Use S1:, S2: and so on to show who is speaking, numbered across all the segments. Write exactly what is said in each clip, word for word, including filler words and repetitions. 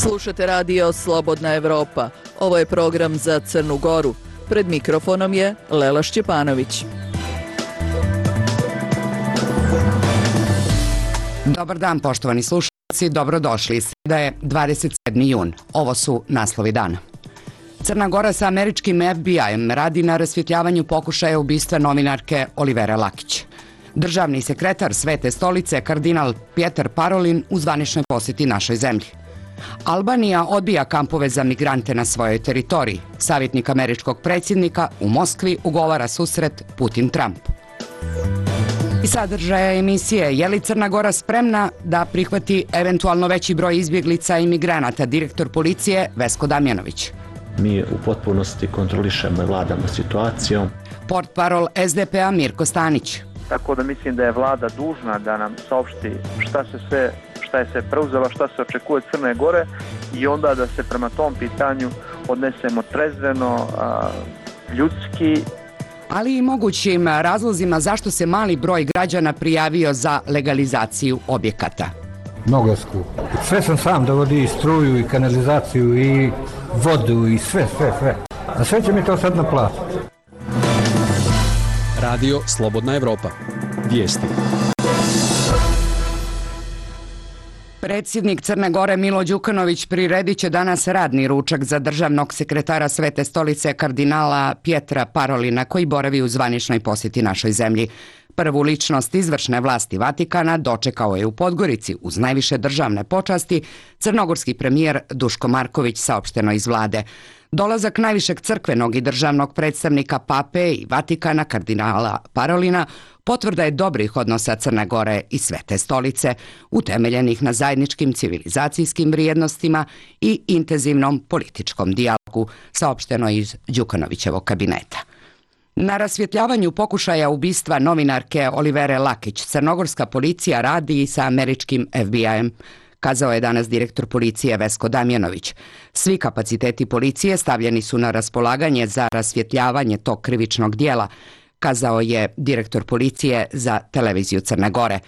S1: Slušate radio Slobodna Evropa. Ovo je program za Crnu Goru. Pred mikrofonom je Lela Šćepanović.
S2: Dobar dan, poštovani slušalci, dobrodošli. Sreda je dvadeset sedmi jun. Ovo su naslovi dana. Crna Gora sa američkim F B I-em radi na rasvjetljavanju pokušaja ubistva novinarke Olivere Lakić. Državni sekretar Svete stolice, kardinal Pjetar Parolin, u zvaničnoj posjeti našoj zemlji. Albanija odbija kampove za migrante na svojoj teritoriji. Savjetnik američkog predsjednika u Moskvi ugovara susret Putin-Trump. I sadržaja emisije: je li Crna Gora spremna da prihvati eventualno veći broj izbjeglica i migranata? Direktor policije Vesko Damjanović.
S3: Mi u potpunosti kontrolišemo i vladamo situacijom.
S2: Portparol S D P-a Mirko Stanić.
S4: Tako da mislim da je vlada dužna da nam saopšti šta se sve, šta je se preuzela, šta se očekuje od Crne Gore i onda da se prema tom pitanju odnesemo trezveno, a, ljudski.
S2: Ali i mogućim razlozima zašto se mali broj građana prijavio za legalizaciju objekata.
S5: Mnogo je skupo. Sve sam sam dovodi, i struju, i kanalizaciju, i vodu, i sve, sve, sve. A sve će mi to sad naplatiti.
S6: Radio Slobodna Evropa. Vijesti.
S2: Predsjednik Crne Gore Milo Đukanović priredit će danas radni ručak za državnog sekretara Svete stolice kardinala Pjetra Parolina, koji boravi u zvaničnoj posjeti našoj zemlji. Prvu ličnost izvršne vlasti Vatikana dočekao je u Podgorici uz najviše državne počasti crnogorski premijer Duško Marković, saopšteno iz vlade. Dolazak najvišeg crkvenog i državnog predstavnika Pape i Vatikana kardinala Parolina potvrda je dobrih odnosa Crne Gore i Svete stolice, utemeljenih na zajedničkim civilizacijskim vrijednostima i intenzivnom političkom dijalogu, saopšteno iz Đukanovićevog kabineta. Na rasvjetljavanju pokušaja ubistva novinarke Olivere Lakić crnogorska policija radi i sa američkim F B I-em, kazao je danas direktor policije Vesko Damjanović. Svi kapaciteti policije stavljeni su na raspolaganje za rasvjetljavanje tog krivičnog dijela, kazao je direktor policije za televiziju Crne Gore.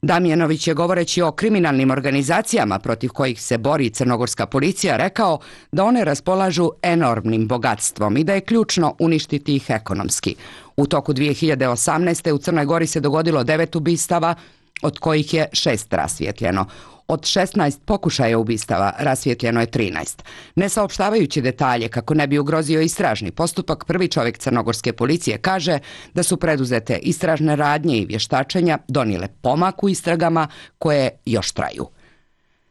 S2: Damjanović je, govoreći o kriminalnim organizacijama protiv kojih se bori crnogorska policija, rekao da one raspolažu enormnim bogatstvom i da je ključno uništiti ih ekonomski. U toku dvije hiljade osamnaeste. u Crnoj Gori se dogodilo devet ubistava, od kojih je šest rasvjetljeno. Od šesnaest pokušaja ubistava rasvjetljeno je trinaest. Ne saopštavajući detalje kako ne bi ugrozio istražni postupak, prvi čovjek crnogorske policije kaže da su preduzete istražne radnje i vještačenja donijele pomak u istragama koje još traju.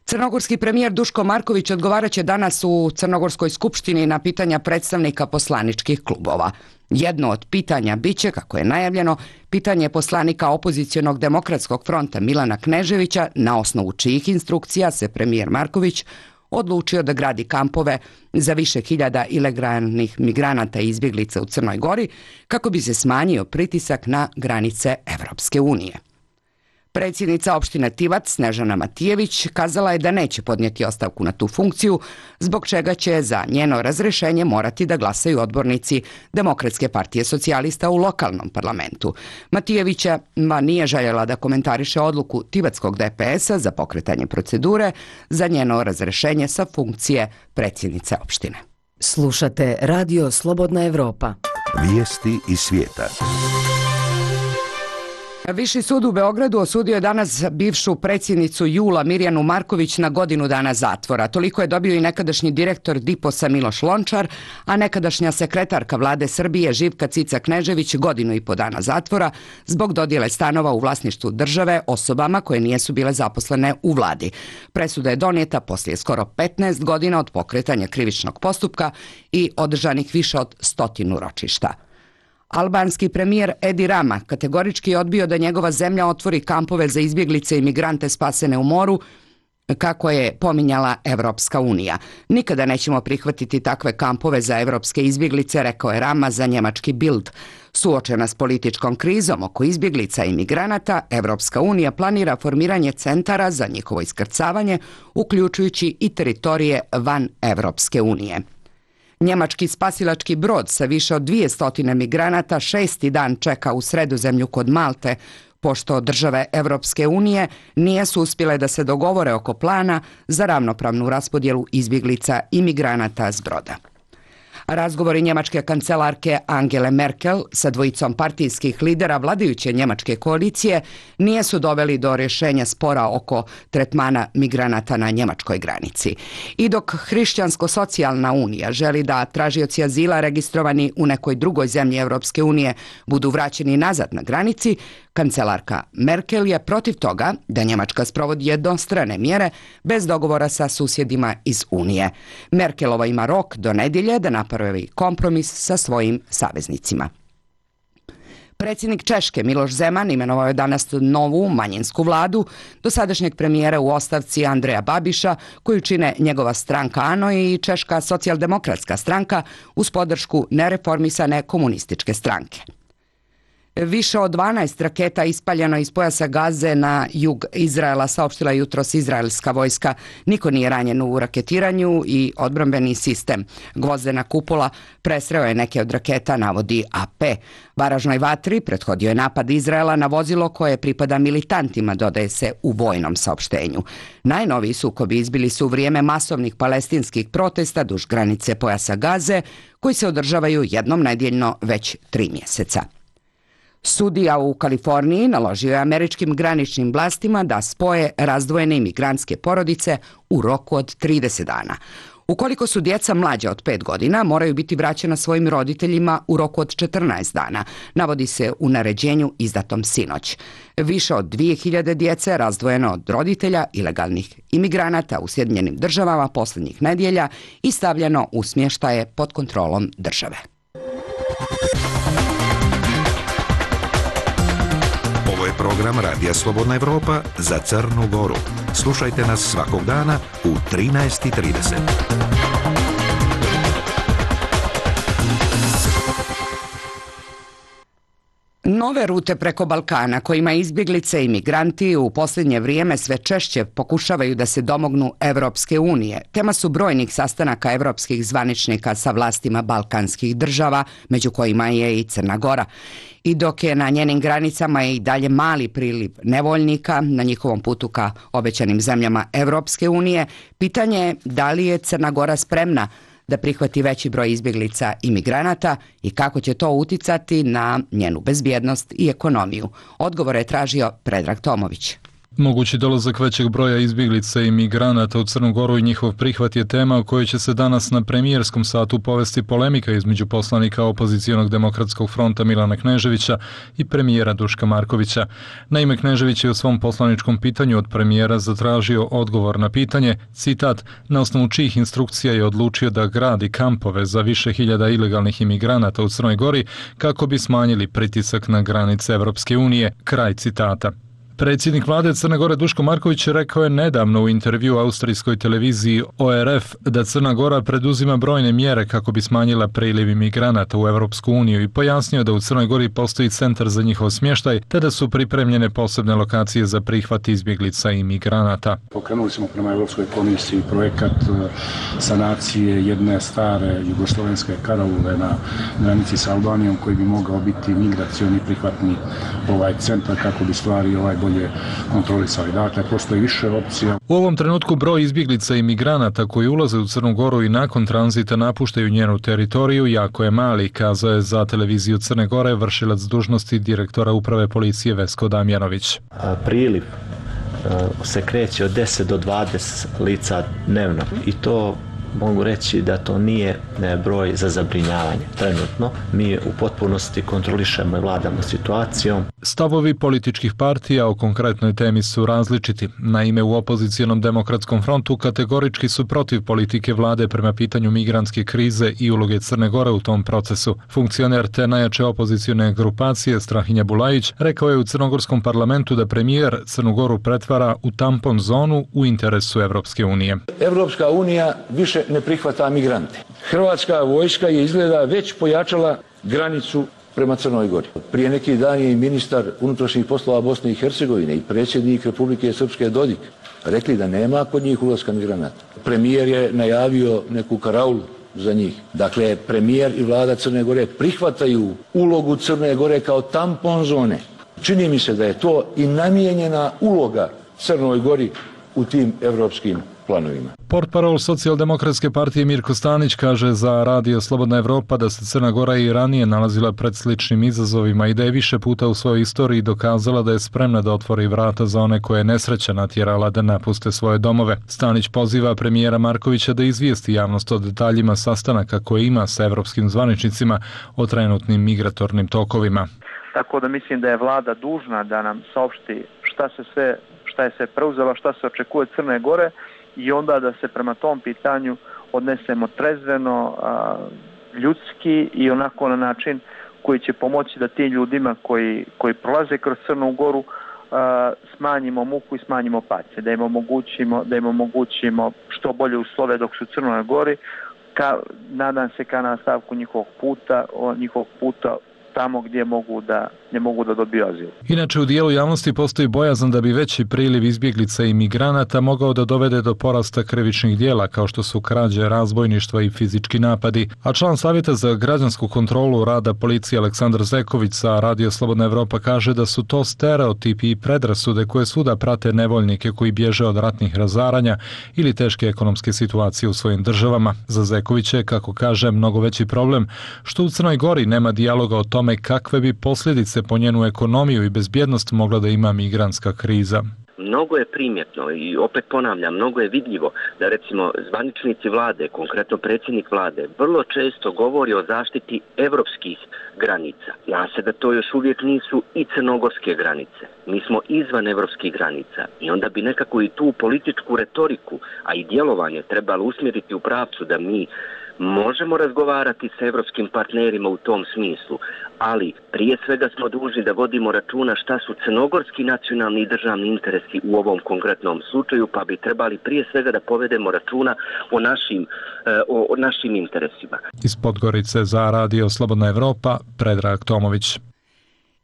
S2: Crnogorski premijer Duško Marković odgovarat će danas u Crnogorskoj skupštini na pitanja predstavnika poslaničkih klubova. Jedno od pitanja biće, kako je najavljeno, pitanje poslanika opozicionog demokratskog fronta Milana Kneževića, na osnovu čijih instrukcija se premijer Marković odlučio da gradi kampove za više hiljada ilegalnih migranata i izbjeglica u Crnoj Gori kako bi se smanjio pritisak na granice Evropske unije. Predsjednica opštine Tivac Snežana Matijević kazala je da neće podnijeti ostavku na tu funkciju, zbog čega će za njeno razrješenje morati da glasaju odbornici Demokratske partije socijalista u lokalnom parlamentu. Matijevića nije željela da komentariše odluku Tivatskog D P S-a za pokretanje procedure za njeno razrješenje sa funkcije predsjednice opštine.
S7: Slušate Radio Slobodna Evropa.
S8: Vijesti iz svijeta.
S2: Viši sud u Beogradu osudio je danas bivšu predsjednicu Jula Mirjanu Marković na godinu dana zatvora. Toliko je dobio i nekadašnji direktor Diposa Miloš Lončar, a nekadašnja sekretarka vlade Srbije Živka Cica Knežević godinu i po dana zatvora zbog dodjele stanova u vlasništvu države osobama koje nijesu bile zaposlene u vladi. Presuda je donijeta poslije skoro petnaest godina od pokretanja krivičnog postupka i održanih više od stotinu ročišta. Albanski premijer Edi Rama kategorički je odbio da njegova zemlja otvori kampove za izbjeglice i migrante spasene u moru, kako je pominjala Evropska unija. Nikada nećemo prihvatiti takve kampove za evropske izbjeglice, rekao je Rama za njemački Bild. Suočena s političkom krizom oko izbjeglica i migranata, Evropska unija planira formiranje centara za njihovo iskrcavanje, uključujući i teritorije van Evropske unije. Njemački spasilački brod sa više od dvije stotine migranata šesti dan čeka u Sredozemlju kod Malte, pošto države Evropske unije nisu uspjele da se dogovore oko plana za ravnopravnu raspodjelu izbjeglica i migranata s broda. Razgovori njemačke kancelarke Angele Merkel sa dvojicom partijskih lidera vladajuće njemačke koalicije nisu doveli do rješenja spora oko tretmana migranata na njemačkoj granici. I dok Hrišćansko-socijalna unija želi da tražioci azila registrovani u nekoj drugoj zemlji Europske unije budu vraćeni nazad na granici, kancelarka Merkel je protiv toga da Njemačka sprovodi jednostrane mjere bez dogovora sa susjedima iz Unije. Merkelova ima rok do nedjelje da napravi kompromis sa svojim saveznicima. Predsjednik Češke Miloš Zeman imenovao je danas novu manjinsku vladu dosadašnjeg premijera u ostavci Andreja Babiša, koju čine njegova stranka ANO i Češka socijaldemokratska stranka uz podršku nereformisane komunističke stranke. Više od dvanaest raketa ispaljeno iz pojasa Gaze na jug Izraela, saopštila jutros izraelska vojska. Niko nije ranjen u raketiranju i odbrambeni sistem gvozdena kupola presreo je neke od raketa, navodi A P. Baražnoj vatri prethodio je napad Izraela na vozilo koje pripada militantima, dodaje se u vojnom saopštenju. Najnoviji sukobi izbili su u vrijeme masovnih palestinskih protesta duž granice pojasa Gaze, koji se održavaju jednom nedjeljno već tri mjeseca. Sudija u Kaliforniji naložio je američkim graničnim vlastima da spoje razdvojene imigrantske porodice u roku od trideset dana. Ukoliko su djeca mlađa od pet godina, moraju biti vraćena svojim roditeljima u roku od četrnaest dana, navodi se u naređenju izdatom sinoć. Više od dvije hiljade djece razdvojeno od roditelja ilegalnih imigranata u Sjedinjenim državama posljednjih nedjelja i stavljeno u smještaje pod kontrolom države.
S8: Ovo je program Radija Slobodna Evropa za Crnu Goru. Slušajte nas svakog dana u trinaest i trideset.
S2: Nove rute preko Balkana kojima izbjeglice i migranti u posljednje vrijeme sve češće pokušavaju da se domognu Evropske unije. Tema su brojnih sastanaka evropskih zvaničnika sa vlastima balkanskih država, među kojima je i Crna Gora. I dok je na njenim granicama i dalje mali priliv nevoljnika na njihovom putu ka obećanim zemljama Evropske unije, pitanje je da li je Crna Gora spremna da prihvati veći broj izbjeglica i migranata i kako će to uticati na njenu bezbjednost i ekonomiju. Odgovore je tražio Predrag Tomović.
S9: Mogući dolazak većeg broja izbjeglica i migranata u Crnu Goru i njihov prihvat je tema o kojoj će se danas na premijerskom satu povesti polemika između poslanika opozicionog demokratskog fronta Milana Kneževića i premijera Duška Markovića. Naime, Knežević je u svom poslaničkom pitanju od premijera zatražio odgovor na pitanje, citat, na osnovu čijih instrukcija je odlučio da gradi kampove za više hiljada ilegalnih imigranata u Crnoj Gori kako bi smanjili pritisak na granice Evropske unije, kraj citata. Predsjednik vlade Crne Gore Duško Marković rekao je nedavno u intervju austrijskoj televiziji O R F da Crna Gora preduzima brojne mjere kako bi smanjila priliv imigranata u Evropsku uniju i pojasnio da u Crnoj Gori postoji centar za njihov smještaj te da su pripremljene posebne lokacije za prihvat izbjeglica i migranata.
S10: Pokrenuli smo prema Evropskoj komisiji projekat sanacije jedne stare jugoslovenske karaule na granici sa Albanijom koji bi mogao biti migracioni prihvatni ovaj centar kako bi stvari ovaj bolje kontrolisali. Dakle, postoji više opcija.
S9: U ovom trenutku broj izbjeglica i migranata koji ulaze u Crnu Goru i nakon tranzita napuštaju njenu teritoriju jako je mali, kazao je za televiziju Crne Gore vršilac dužnosti direktora uprave policije Vesko Damjanović.
S3: Priliv se kreće od deset do dvadeset lica dnevno i to mogu reći da to nije broj za zabrinjavanje. Trenutno mi u potpunosti kontrolišemo i vladamo situacijom.
S9: Stavovi političkih partija o konkretnoj temi su različiti. Naime, u opozicionom demokratskom frontu kategorički su protiv politike vlade prema pitanju migrantske krize i uloge Crne Gore u tom procesu. Funkcioner te najjače opozicione grupacije Strahinja Bulajić rekao je u crnogorskom parlamentu da premijer Crnu Goru pretvara u tampon zonu u interesu Evropske unije.
S11: Evropska unija više ne prihvata migrante. Hrvatska vojska je izgleda već pojačala granicu prema Crnoj Gori. Prije neki dan je i ministar unutrašnjih poslova Bosne i Hercegovine i predsjednik Republike Srpske Dodik rekli da nema kod njih ulaska migranata. Premijer je najavio neku karaulu za njih. Dakle, premijer i vlada Crne Gore prihvataju ulogu Crne Gore kao tampon zone Čini mi se da je to i namijenjena uloga Crnoj Gori u tim evropskim planovima.
S9: Portparol Socijaldemokratske partije Mirko Stanić kaže za Radio Slobodna Evropa da se Crna Gora i ranije nalazila pred sličnim izazovima i da je više puta u svojoj istoriji dokazala da je spremna da otvori vrata za one koje je nesreća natjerala da napuste svoje domove. Stanić poziva premijera Markovića da izvijesti javnost o detaljima sastanaka koje ima sa evropskim zvaničnicima o trenutnim migratornim tokovima.
S4: Tako da mislim da je vlada dužna da nam saopšti šta se sve, šta je se preuzela, šta se očekuje od Crne Gore i onda da se prema tom pitanju odnesemo trezveno, a, ljudski i onako na način koji će pomoći da tim ljudima koji, koji prolaze kroz Crnu Goru a, smanjimo muku i smanjimo patnje, da im omogućimo, da im omogućimo što bolje uslove dok su u Crnoj Gori, ka, nadam se ka nastavku njihovog puta, o, njihovog puta tamo gdje mogu da ne mogu da dobiju azil.
S9: Inače, u dijelu javnosti postoji bojazan da bi veći priliv izbjeglica i migranata mogao da dovede do porasta krivičnih dijela kao što su krađe, razbojništva i fizički napadi. A član Savjeta za građansku kontrolu rada policije Aleksandar Zeković sa Radio Slobodna Evropa kaže da su to stereotipi i predrasude koje svuda prate nevoljnike koji bježe od ratnih razaranja ili teške ekonomske situacije u svojim državama. Za Zekovića je, kako kaže, mnogo veći problem što u Crnoj Gori nema dijaloga o tome kakve bi posljedice po njenu ekonomiju i bezbjednost mogla da ima migrantska kriza.
S12: Mnogo je primjetno i opet ponavljam, mnogo je vidljivo da recimo zvaničnici vlade, konkretno predsjednik vlade, vrlo često govori o zaštiti evropskih granica. Zna se da to još uvijek nisu i crnogorske granice. Mi smo izvan evropskih granica i onda bi nekako i tu političku retoriku, a i djelovanje trebalo usmjeriti u pravcu da mi možemo razgovarati s evropskim partnerima u tom smislu, ali prije svega smo dužni da vodimo računa šta su crnogorski nacionalni i državni interesi u ovom konkretnom slučaju, pa bi trebali prije svega da povedemo računa o našim, o, o našim interesima.
S9: Iz Podgorice za Radio Slobodna Evropa, Predrag Tomović.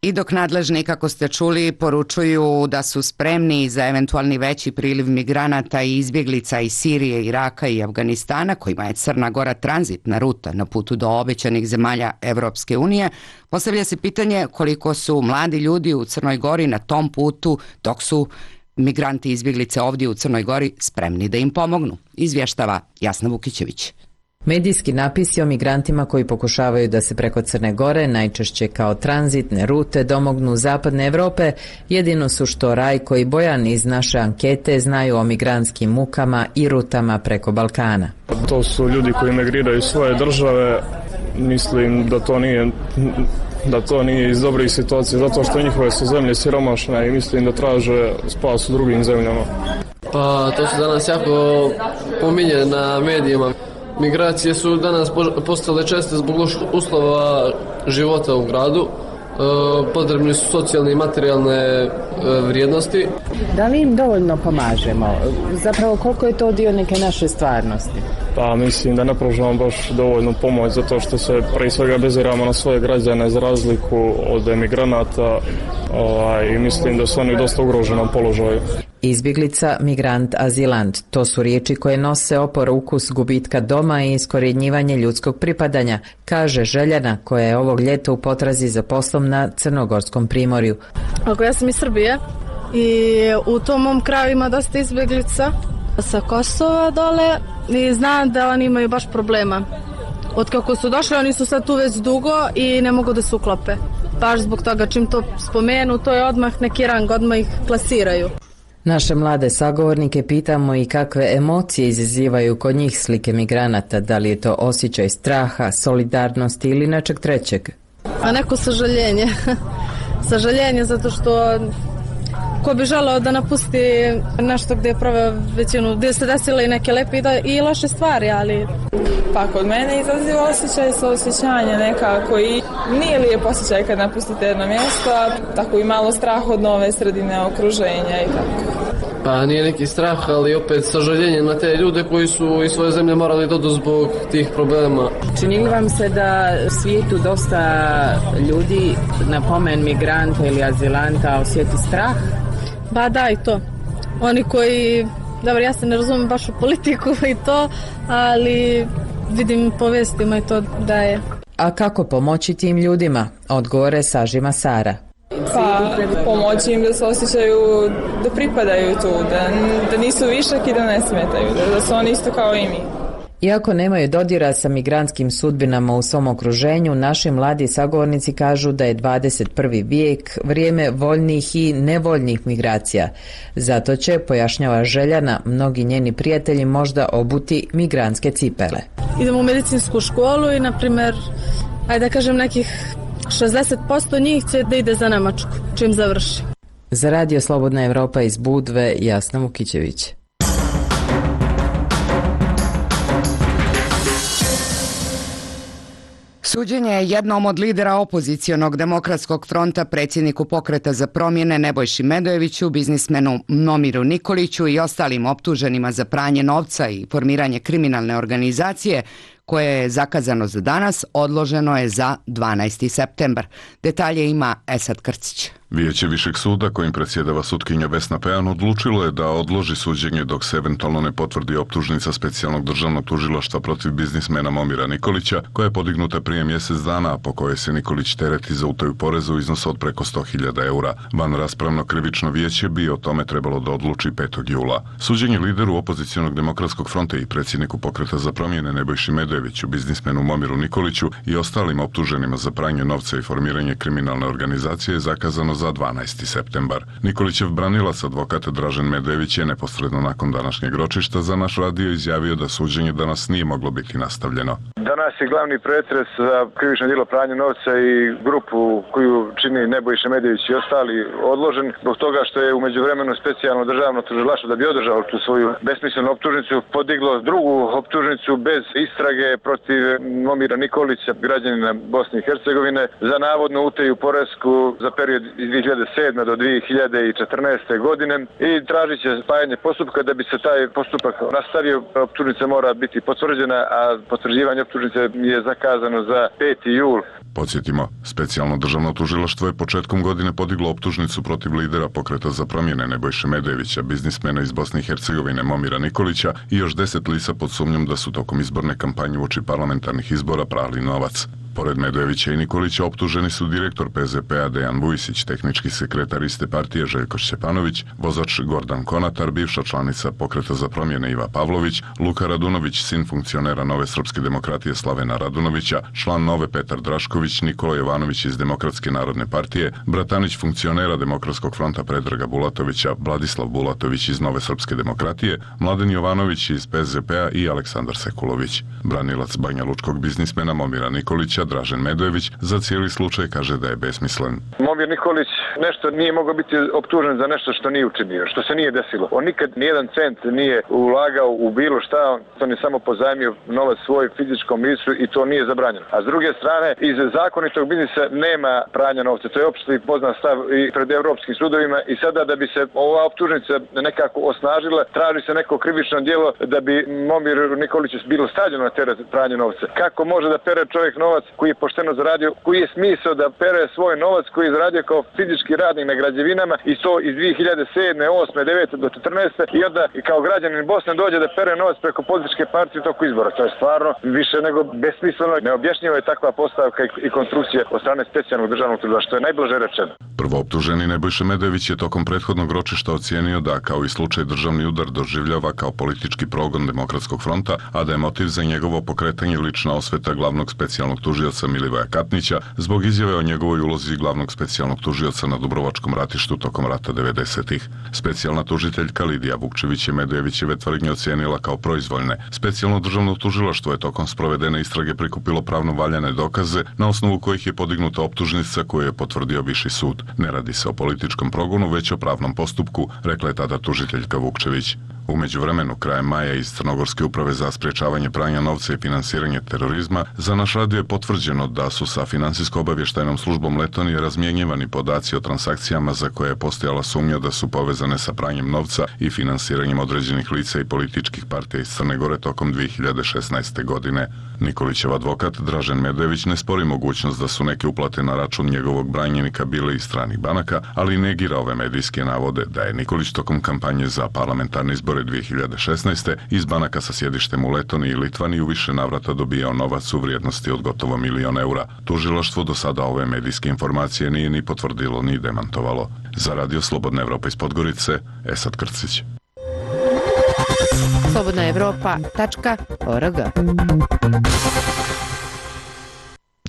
S2: I dok nadležni, kako ste čuli, poručuju da su spremni za eventualni veći priliv migranata i izbjeglica iz Sirije, Iraka i Afganistana, kojima je Crna Gora tranzitna ruta na putu do obećanih zemalja Evropske unije, postavlja se pitanje koliko su mladi ljudi u Crnoj Gori na tom putu, dok su migranti i izbjeglice ovdje u Crnoj Gori spremni da im pomognu, izvještava Jasna Vukićević.
S7: Medijski napisi o migrantima koji pokušavaju da se preko Crne Gore, najčešće kao tranzitne rute, domognu zapadne Evrope, jedino su što Rajko i Bojan iz naše ankete znaju o migrantskim mukama i rutama preko Balkana.
S13: To su ljudi koji migriraju iz svoje države, mislim da to nije... da to nije iz dobrih situacija, zato što njihove su zemlje siromašne i mislim da traže spas u drugim zemljama.
S14: Pa to su danas jako pominje na medijima. Migracije su danas postale česte zbog uslova života u gradu. Potrebni su socijalne i materijalne vrijednosti.
S15: Da li im dovoljno pomažemo? Zapravo koliko je to dio neke naše stvarnosti?
S13: Pa mislim da ne pružamo baš dovoljno pomoć zato što se prije svega beziramo na svoje građane za razliku od emigranata ovaj, i mislim da su oni dosta ugroženom položaju.
S7: Izbjeglica, migrant, azilant, to su riječi koje nose opor ukus gubitka doma i iskorjenjivanje ljudskog pripadanja, kaže Željana koja je ovog ljeta u potrazi za poslom na Crnogorskom primorju.
S16: Ako ja sam iz Srbije i u tom mom kraju ima dosta izbjeglica sa Kosova dole i znam da oni imaju baš problema. Od kako su došli, oni su sad tu već dugo i ne mogu da se uklope. Baš zbog toga čim to spomenu, to je odmah neki rang, odmah ih klasiraju.
S7: Naše mlade sagovornike pitamo i kakve emocije izazivaju kod njih slike migranata, da li je to osjećaj straha, solidarnosti ili nečeg trećeg.
S16: A neko sažaljenje. Sažaljenje zato što ko bi želeo da napusti nešto gdje je proveo većinu, gdje se desile i neke lepe i loše stvari, ali...
S17: Pa kod mene izaziva osjećaj saosjećanja nekako i nije lijep osjećaj kad napustite jedno mjesto, tako i malo strah od nove sredine, okruženja i tako.
S14: Pa nije neki strah, ali opet sažaljenje na te ljude koji su iz svoje zemlje morali doći zbog tih problema.
S15: Čini li vam se da u svijetu dosta ljudi na pomen migranta ili azilanta osjeti strah?
S16: Ba da, i to. Oni koji, dobro, ja se ne razumijem baš u politiku i to, ali vidim po vestima i to da je.
S7: A kako pomoći tim ljudima? Odgovore sažima Sara.
S17: Pa pomoći im da se osjećaju da pripadaju tu, da, da nisu višak i da ne smetaju, da, da su oni isto kao i mi.
S7: Iako nemaju dodira sa migrantskim sudbinama u svom okruženju, naši mladi sagovornici kažu da je dvadeset prvi vijek vrijeme voljnih i nevoljnih migracija. Zato će, pojašnjava Željana, mnogi njeni prijatelji možda obuti migrantske cipele.
S16: Idemo u medicinsku školu i, na primjer, ajde da kažem, nekih šezdeset posto njih će da ide za Nemačku, čim završi.
S7: Za Radio Slobodna Evropa iz Budve, Jasna Vukićević.
S2: Suđenje je jednom od lidera opozicionog demokratskog fronta, predsjedniku Pokreta za promjene Nebojši Medojeviću, biznismenu Momiru Nikoliću i ostalim optuženima za pranje novca i formiranje kriminalne organizacije, koje je zakazano za danas, odloženo je za dvanaesti septembar. Detalje ima Esad Krcić.
S18: Vijeće Višeg suda, kojim predsjedava sutkinja Vesna Pejan, odlučilo je da odloži suđenje dok se eventualno ne potvrdi optužnica specijalnog državnog tužilaštva protiv biznismena Momira Nikolića, koja je podignuta prije mjesec dana, a po kojoj se Nikolić tereti za utaju poreza u iznosu od preko sto hiljada eura. Van raspravno krivično vijeće bi o tome trebalo da odluči petog jula. Suđenje lideru opozicionog demokratskog fronta i predsjedniku Pokreta za promjene Nebojši Medojeviću, biznismenu Momiru Nikoliću i ostalim optuženima za pranje novca i formiranje kriminalne organizacije je zakazano za dvanaesti septembar. Nikolićev branilac, advokat Dražen Medojević, je neposredno nakon današnjeg ročišta za naš radio izjavio da suđenje danas nije moglo biti nastavljeno.
S19: Danas je glavni pretres za krivično djelo pranja novca i grupu koju čini Nebojša Medojević i ostali odložen zbog toga što je u međuvremenu specijalno državno tužilaštvo, da bi održalo tu svoju besmislenu optužnicu, podiglo drugu optužnicu bez istrage protiv Momira Nikolića, građanina Bosne i Hercegovine, za navodnu utaju poresku za period iz dvije hiljade sedme do dvije hiljade četrnaeste. godine i tražit će spajanje postupka. Da bi se taj postupak nastavio, optužnica mora biti potvrđena, a potvrđivanje optužnice je zakazano za peti jul.
S18: Podsjetimo, specijalno državno tužilaštvo je početkom godine podiglo optužnicu protiv lidera Pokreta za promjene Nebojše Medojevića, biznismena iz Bosne i Hercegovine Momira Nikolića i još deset lica pod sumnjom da su tokom izborne kampanje uoči parlamentarnih izbora prali novac. Pored Medojevića i Nikolića optuženi su direktor P Z P-a Dejan Vujsić, tehnički sekretar iste partije Željko Šćepanović, vozač Gordan Konatar, bivša članica Pokreta za promjene Iva Pavlović, Luka Radunović, sin funkcionera Nove srpske demokratije Slavena Radunovića, član Nove Petar Drašković, Nikola Jovanović iz Demokratske narodne partije, bratanić funkcionera Demokratskog fronta Predraga Bulatovića, Vladislav Bulatović iz Nove srpske demokratije, Mladen Jovanović iz P Z P-a i Aleksandar Sekulović. Branilac banjalučkog biznismena Momira Nikolića, Dražen Medojević, za cijeli slučaj kaže da je besmislen.
S19: Momir Nikolić nešto nije mogao biti optužen za nešto što nije učinio, što se nije desilo. On nikad nijedan cent nije ulagao u bilo šta, on je samo pozajmio novac svoj fizičkom licu i to nije zabranjeno. A s druge strane, iz zakonitog biznisa nema pranja novca. To je opšte poznat stav i pred europskim sudovima i sada da bi se ova optužnica nekako osnažila, traži se neko krivično djelo da bi Momir Nikolić bilo stavljeno na teret pranja novca. Kako može da pere čovjek novac koji je pošteno zaradio, koji je smisao da pere svoj novac koji je zaradio kao fizički radnik na građevinama i to iz dvije hiljade sedme, osme, devete do četrnaeste i onda kao građanin Bosne dođe da pere novac preko političke partije u toku izbora. To je stvarno više nego besmisleno. Neobjašnjiva je takva postavka i konstrukcija od strane specijalnog državnog tužilaštva, što je najblaže rečeno.
S18: Prvo optuženi Nebojša Medojević je tokom prethodnog ročišta ocijenio da, kao i slučaj državni udar, doživljava kao politički progon Demokratskog fronta, a da je motiv za njegovo pokretanje lična osveta glavnog specijalnog tužioca Milivoja Katnića zbog izjave o njegovoj ulozi glavnog specijalnog tužioca na Dubrovačkom ratištu tokom rata devedesetih. Specijalna tužiteljka Lidija Vukčević je Medojevićeve tvrdnje ocijenila kao proizvoljne. Specijalno državno tužilaštvo je tokom sprovedene istrage prikupilo pravno valjane dokaze na osnovu kojih je podignuta optužnica koju je potvrdio Viši sud. Ne radi se o političkom progonu, već o pravnom postupku, rekla je tada tužiteljka Vukčević. U međuvremenu, krajem maja iz Crnogorske uprave za sprječavanje pranja novca i finansiranje terorizma, za naš radio je potvrđeno da su sa finansijsko-obavještajnom službom Letonije razmjenjivani podaci o transakcijama za koje je postojala sumnja da su povezane sa pranjem novca i finansiranjem određenih lica i političkih partija iz Crne Gore tokom dvije hiljade šesnaeste. godine. Nikolićev advokat Dražen Medojević ne spori mogućnost da su neke uplate na račun njegovog branjenika bile iz stranih banaka, ali negira ove medijske navode da je Nikolić tokom kampanje za parlamentarne izbore izbore dvije hiljade šesnaeste iz banaka sa sjedištem u Letoniji i Litvaniji u više navrata dobijao novac u vrijednosti od gotovo milion eura. Tužilaštvo do sada ove medijske informacije nije ni potvrdilo ni demantovalo. Za Radio Slobodna Evropa iz Podgorice, Esad Krcić.
S20: slobodna evropa tačka org.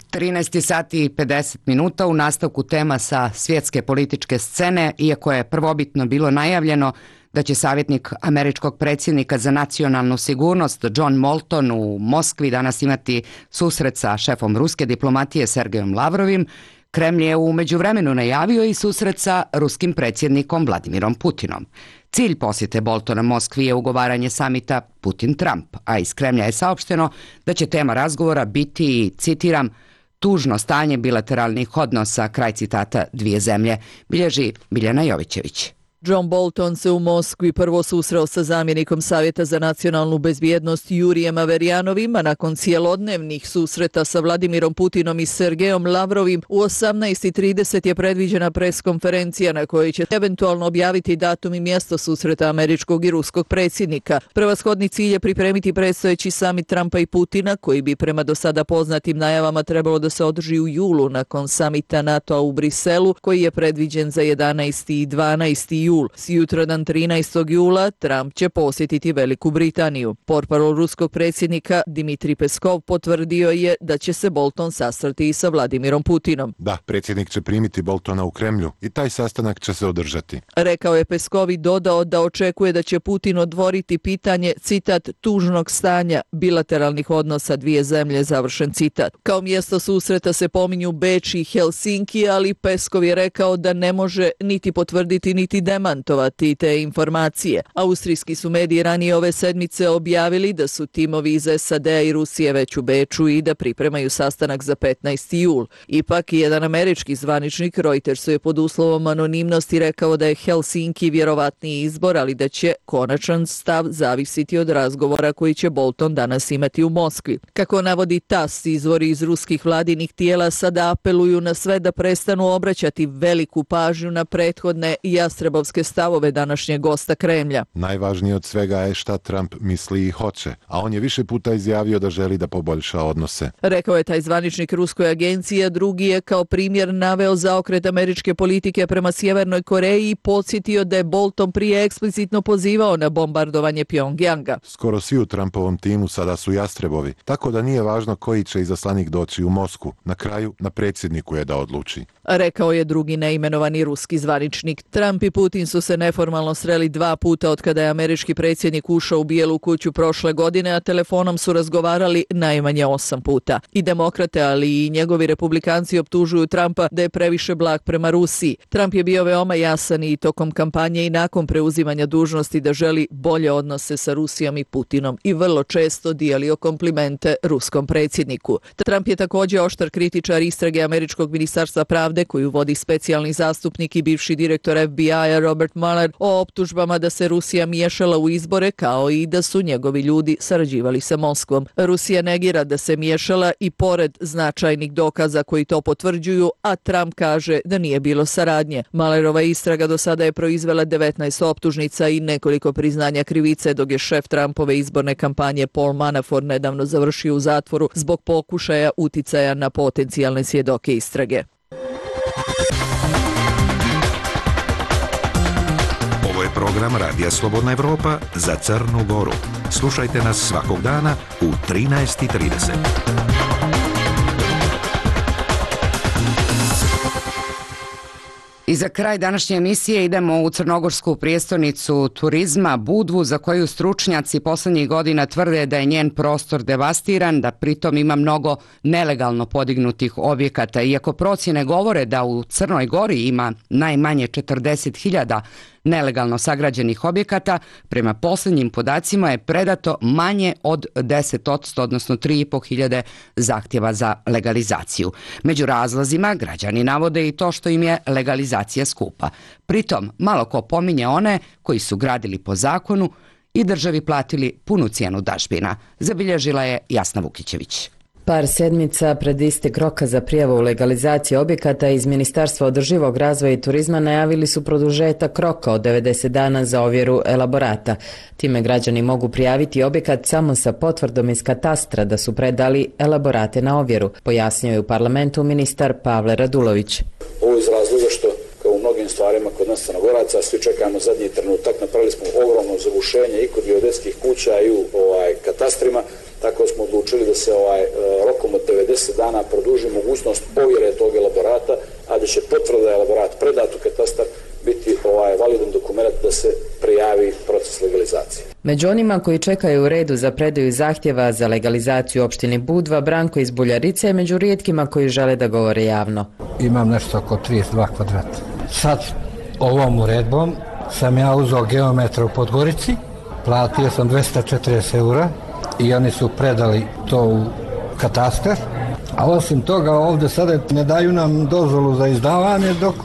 S2: trinaest sati i pedeset minuta u nastavku tema sa svjetske političke scene, iako je prvobitno bilo najavljeno da će savjetnik američkog predsjednika za nacionalnu sigurnost John Bolton u Moskvi danas imati susret sa šefom ruske diplomatije Sergejom Lavrovim, Kremlj je u međuvremenu najavio i susret sa ruskim predsjednikom Vladimirom Putinom. Cilj posjete Boltona Moskvi je ugovaranje samita Putin-Trump, a iz Kremlja je saopšteno da će tema razgovora biti, citiram, tužno stanje bilateralnih odnosa, kraj citata, dvije zemlje, bilježi Biljana Jovićević.
S1: John Bolton se u Moskvi prvo susreo sa zamjenikom Savjeta za nacionalnu bezbjednost Jurijem Averjanovim, a nakon cijelodnevnih susreta sa Vladimirom Putinom i Sergejom Lavrovim u osamnaest i trideset je predviđena preskonferencija na kojoj će eventualno objaviti datum i mjesto susreta američkog i ruskog predsjednika. Prevashodni cilj je pripremiti predstojeći samit Trumpa i Putina, koji bi prema do sada poznatim najavama trebalo da se održi u julu nakon samita NATO-a u Briselu, koji je predviđen za jedanaesti i dvanaesti jul. Sutradan trinaestog jula Trump će posjetiti Veliku Britaniju. Portparol ruskog predsjednika Dmitrij Peskov potvrdio je da će se Bolton sastati i sa Vladimirom Putinom.
S21: Da, predsjednik će primiti Boltona u Kremlju i taj sastanak će se održati.
S1: Rekao je Peskov i dodao da očekuje da će Putin odvoriti pitanje, citat, tužnog stanja bilateralnih odnosa dvije zemlje, završen citat. Kao mjesto susreta se pominju Beč i Helsinki, ali Peskov je rekao da ne može niti potvrditi niti demantovati te informacije. Austrijski su mediji ranije ove sedmice objavili da su timovi iz S A D-a i Rusije već u Beču i da pripremaju sastanak za petnaesti jul. Ipak, jedan američki zvaničnik Reutersu je pod uslovom anonimnosti rekao da je Helsinki vjerovatniji izbor, ali da će konačan stav zavisiti od razgovora koji će Bolton danas imati u Moskvi. Kako navodi T A S, izvori iz ruskih vladinih tijela sada apeluju na sve da prestanu obraćati veliku pažnju na prethodne jastrebovske stavove današnjeg gosta Kremlja.
S21: Najvažnije od svega je šta Trump misli i hoće, a on je više puta izjavio da želi da poboljša odnose.
S1: Rekao je taj zvaničnik ruskoj agenciji, a drugi je kao primjer naveo zaokret američke politike prema Sjevernoj Koreji i podsjetio da je Bolton prije eksplicitno pozivao na bombardovanje Pjongjanga.
S21: Skoro svi u Trumpovom timu sada su jastrebovi, tako da nije važno koji će izaslanik doći u Moskvu. Na kraju, na predsjedniku je da odluči.
S1: Rekao je drugi neimenovani ruski zvaničnik. Trump i Putin su se neformalno sreli dva puta od kada je američki predsjednik ušao u Bijelu kuću prošle godine, a telefonom su razgovarali najmanje osam puta. I demokrate, ali i njegovi republikanci optužuju Trumpa da je previše blag prema Rusiji. Trump je bio veoma jasan i tokom kampanje i nakon preuzimanja dužnosti da želi bolje odnose sa Rusijom i Putinom i vrlo često dijelio komplimente ruskom predsjedniku. Trump je također oštar kritičar istrage američkog ministarstva pravde koju vodi specijalni zastupnik i bivši direktor F B I-a Robert Mueller o optužbama da se Rusija miješala u izbore, kao i da su njegovi ljudi sarađivali sa Moskvom. Rusija negira da se miješala i pored značajnih dokaza koji to potvrđuju, a Trump kaže da nije bilo saradnje. Muellerova istraga do sada je proizvela devetnaest optužnica i nekoliko priznanja krivice, dok je šef Trumpove izborne kampanje Paul Manafort nedavno završio u zatvoru zbog pokušaja uticaja na potencijalne svjedoke istrage.
S8: Ovo je program Radija Slobodna Evropa za Crnu Goru. Slušajte nas svakog dana u trinaest i trideset.
S2: I za kraj današnje emisije idemo u crnogorsku prijestolnicu turizma Budvu, za koju stručnjaci posljednjih godina tvrde da je njen prostor devastiran, da pritom ima mnogo nelegalno podignutih objekata. Iako procjene govore da u Crnoj Gori ima najmanje četrdeset hiljada nelegalno sagrađenih objekata, prema posljednjim podacima je predato manje od deset posto, odnosno tri i pol hiljade zahtjeva za legalizaciju. Među razlozima građani navode i to što im je legalizacija skupa. Pritom malo ko pominje one koji su gradili po zakonu i državi platili punu cijenu dažbina, zabilježila je Jasna Vukićević.
S7: Par sedmica pred istek roka za prijavu legalizacije objekata iz Ministarstva održivog razvoja i turizma najavili su produžetak roka od devedeset dana za ovjeru elaborata. Time građani mogu prijaviti objekat samo sa potvrdom iz katastra da su predali elaborate na ovjeru, pojasnio je u parlamentu ministar Pavle Radulović.
S5: Ovo iz razloga što kao u mnogim stvarima kod nas Crnogoraca svi čekamo zadnji trenutak, napravili smo ogromno zagušenje i kod geodetskih kuća i u ovaj, katastrima. Tako smo odlučili da se ovaj, rokom od devedeset dana produži mogućnost ovjere tog elaborata, a da će potvrda elaborat predat u katastar biti ovaj, validan dokument da se prijavi proces legalizacije.
S7: Među onima koji čekaju u redu za predaju zahtjeva za legalizaciju u opštini Budva, Branko iz Buljarice je među rijetkima koji žele da govore javno.
S22: Imam nešto oko trideset dva kvadrata. Sad ovom uredbom sam ja uzeo geometra u Podgorici, platio sam dvesta četrdeset eura i oni su predali to u katastar. A osim toga ovdje sada ne daju nam dozvolu za izdavanje dok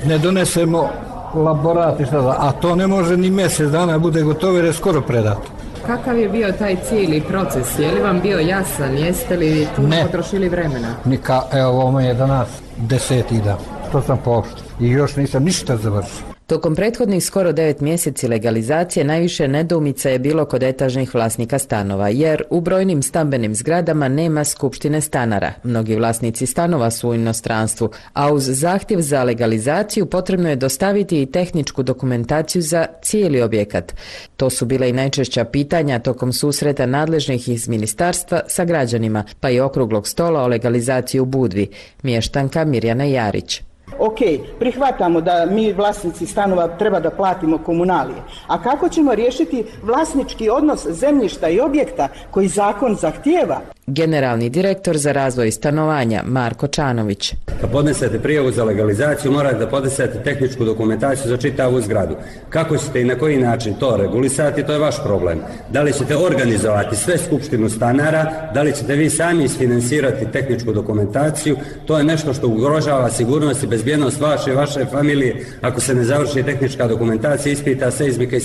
S22: ne donesemo laborat i šta da, a to ne može ni mjesec dana bude gotovo jer je skoro predato.
S15: Kakav je bio taj cijeli proces? Je li vam bio jasan? Jeste li tu potrošili vremena?
S22: Nika, evo ovo je danas deseti dan. To sam pooštio i još nisam ništa završio.
S7: Tokom prethodnih skoro devet mjeseci legalizacije najviše nedoumica je bilo kod etažnih vlasnika stanova, jer u brojnim stambenim zgradama nema skupštine stanara. Mnogi vlasnici stanova su u inostranstvu, a uz zahtjev za legalizaciju potrebno je dostaviti i tehničku dokumentaciju za cijeli objekat. To su bile i najčešća pitanja tokom susreta nadležnih iz ministarstva sa građanima, pa i okruglog stola o legalizaciji u Budvi. Mještanka Mirjana Jarić.
S23: Ok, prihvatamo da mi vlasnici stanova treba da platimo komunalije. A kako ćemo riješiti vlasnički odnos zemljišta i objekta koji zakon zahtijeva?
S7: Generalni direktor za razvoj stanovanja Marko Čanović.
S24: Kad podnesete prijavu za legalizaciju, morate da podnesete tehničku dokumentaciju za čitavu zgradu. Kako ćete i na koji način to regulisati, to je vaš problem. Da li ćete organizovati sve skupštinu stanara, da li ćete vi sami isfinansirati tehničku dokumentaciju, to je nešto što ugrožava sigurnost i bezbjednost vaše i vaše familije ako se ne završi tehnička dokumentacija, ispita seizmika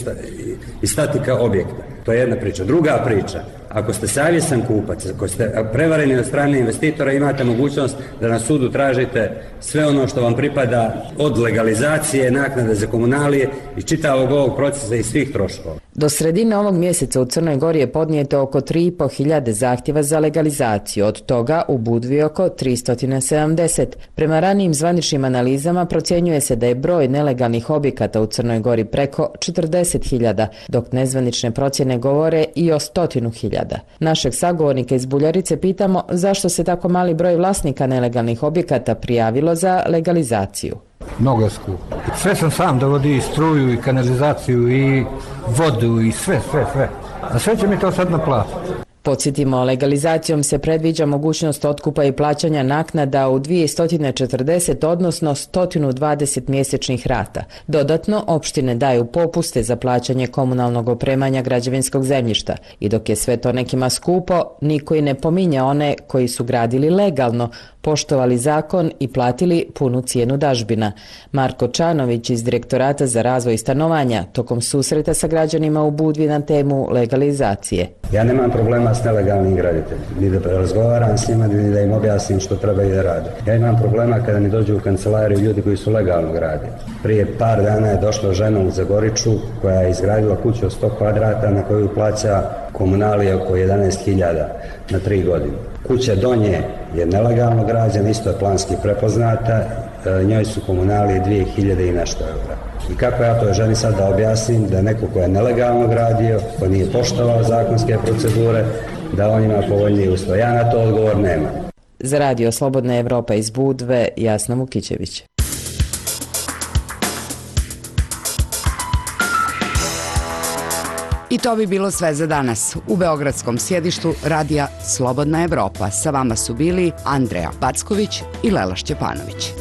S24: i statika objekta. To je jedna priča. Druga priča, ako ste savjestan kupac, ako ste prevareni od strane investitora, imate mogućnost da na sudu tražite sve ono što vam pripada od legalizacije, naknade za komunalije i čitavog ovog procesa i svih troškova.
S7: Do sredine ovog mjeseca u Crnoj Gori je podnijeto oko tri i po hiljade zahtjeva za legalizaciju, od toga u Budvi oko tristo sedamdeset. Prema ranijim zvaničnim analizama procjenjuje se da je broj nelegalnih objekata u Crnoj Gori preko četrdeset hiljada, dok nezvanične procjene govore i o stotinu hiljada. Našeg sagovornika iz Buljarice pitamo zašto se tako mali broj vlasnika nelegalnih objekata prijavilo za legalizaciju.
S22: Mnogo je skupo. Sve sam sam dovodi i struju i kanalizaciju i vodu i sve, sve, sve. A sve će mi to sad naplatiti.
S7: Podsjetimo, legalizacijom se predviđa mogućnost otkupa i plaćanja naknada u dvjesto četrdeset, odnosno sto dvadeset mjesečnih rata. Dodatno, opštine daju popuste za plaćanje komunalnog opremanja građevinskog zemljišta. I dok je sve to nekima skupo, niko i ne pominja one koji su gradili legalno, poštovali zakon i platili punu cijenu dažbina. Marko Čanović iz Direktorata za razvoj stanovanja tokom susreta sa građanima u Budvi na temu legalizacije.
S24: Ja nemam problema s nelegalnim graditeljima, ni da razgovaram s njima, ni da im objasnim što treba i da rade. Ja imam problema kada mi dođu u kancelariju ljudi koji su legalno gradili. Prije par dana je došla žena u Zagoriču koja je izgradila kuću od sto kvadrata na koju plaća komunalije oko jedanaest hiljada na tri godine. Kuća do nje je nelegalno građena, isto je planski prepoznata, njoj su komunalije dvije hiljade i nešto eura. I kako ja to želim sad da objasnim da neko ko je nelegalno gradio, ko nije poštovao zakonske procedure, da on ima povoljniji uslov. Ja na to odgovor nemam.
S7: Za Radio Slobodna Evropa iz Budve, Jasna Vukićević.
S2: I to bi bilo sve za danas. U beogradskom sjedištu Radija Slobodna Evropa sa vama su bili Andreja Packović i Lela Šćepanović.